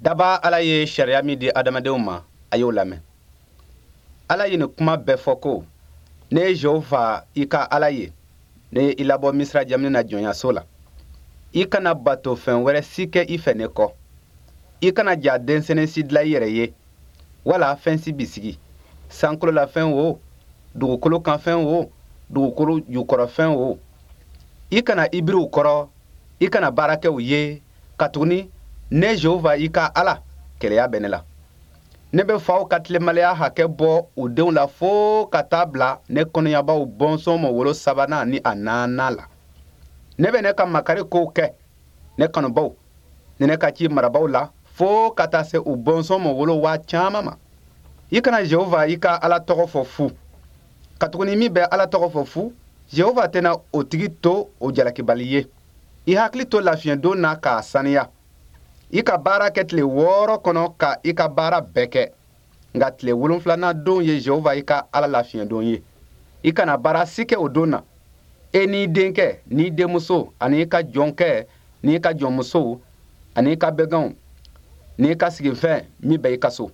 Daba Ala ye sariya min di adamadenw ma, a y'o lamɛn. Ala ye nin kuma bɛɛ fɔ ko: Ne ye Jehova i ka Ala ye, ne ye i labɔ Misira jamana na jɔnyaso la. I kana bato fɛn wɛrɛ si kɛ i fɛ ne kɔ. I kana ja denmisɛnnin si dilan i yɛrɛ ye, wala fɛn si bisigi, sankolo la fɛn o, dugukolo kan fɛn o, dugukolo jukɔrɔ fɛn o. I kana i biri u kɔrɔ, i kana baara kɛ u ye, katuguni ne Jehova i ka Ala, keleya bɛ ne la. Ne bɛ faw ka tilenbaliya hakɛ bɔ u denw la fo ka taa bila ne kɔnɔyabaw bɔnsɔn ma wolo sabanan ni a naaninan la. Ne bɛ ne ka makari kow kɛ ne kanubaw ni ne ka ci marabaw la fo ka taa se u bɔnsɔn ma wolo waa caman ma. I kana Jehova i ka Ala tɔgɔ fɔ fu, katuguni min bɛ Ala tɔgɔ fɔ fu, Jehova tɛna o tigi to o jalakibali ye. I hakili to lafiɲɛdon na k'a saniya. I ka baara kɛ tile 6 kɔnɔ ka i ka baara bɛɛ kɛ, nka tile 7nan don ye Jehova i ka Ala lafiɲɛdon ye. I kana baara si kɛ o don na, e n'i denkɛ n'i denmuso ani i ka jɔnkɛ n'i ka jɔnmuso ani i ka bɛganw n'i ka sigifɛn min bɛ i ka so.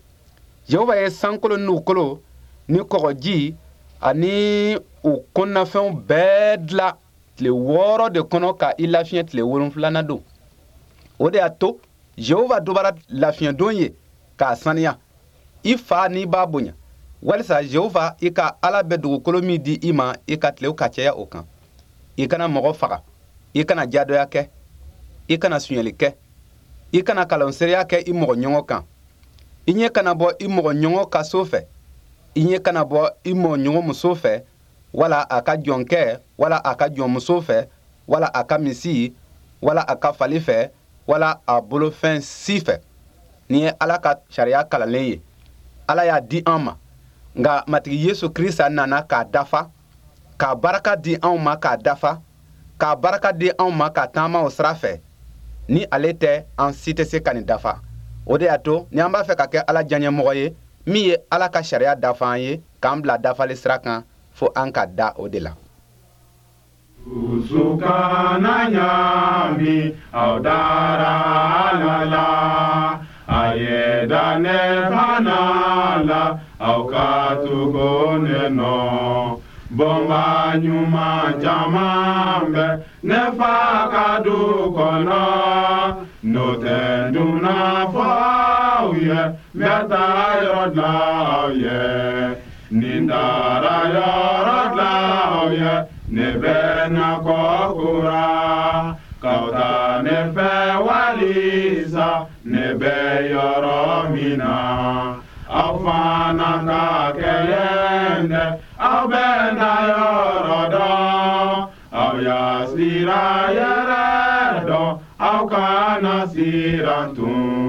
Jehova ye sankolo ni dugukolo ni kɔgɔji ani u kɔnɔnafɛnw bɛɛ dilan tile 6 de kɔnɔ ka i lafiɲɛ tile 7nan don. O de y'a to Jehova dubara lafiɲɛdon ye k'a saniya. I fa n'i b'a bonya, walisa Jehova i ka Ala bɛ dugukolo min di i ma, i ka tilew ka caya o kan. I kana mɔgɔ faga, i kana jadɔya kɛ, i kana sonyɛli kɛ, i kana kalanseereya kɛ i mɔgɔ ɲɔgɔn kan. I ɲɛ kana bɔ i mɔgɔ ɲɔgɔn ka so fɛ, i ɲɛ kana bɔ i mɔgɔ ɲɔgɔn muso fɛ, wala a ka jɔnkɛ, wala a ka jɔnmuso fɛ, wala a ka misi, wala a ka fali fɛ, wala a bolofɛn si fɛ. Nin ye Ala ka sariya kalanlen ye, Ala y'a di an ma, nka Matigi Yesu Krista nana k'a dafa, k'a baraka di anw ma k'a dafa, k'a baraka di anw ma ka taama o sira fɛ. Ni ale tɛ, an si tɛ se ka nin dafa. O de y'a to ni an b'a fɛ ka kɛ Ala diyaɲɛmɔgɔ ye, min ye Ala ka sariya dafa an ye k'an bila dafali sira kan, fo an ka da o de la. Dusu kana ɲaami, aw dara Ala la, a ye da ne fana la, aw ka tugu ne nɔ. Bonba ɲuman caman bɛ ne fa ka du kɔnɔ, n'o tɛ n dunna fɔ aw ye, n bɛ taa yɔrɔ dilan aw ye. Ni n taara yɔrɔ dilan aw ye, ne bɛ na kɔ kura k'aw ta ne fɛ, walisa ne bɛ yɔrɔ min na, aw fana ka kɛ yen dɛ. Aw bɛ na yɔrɔ dɔn, aw y'a sira yɛrɛ dɔn, aw kana siran tun.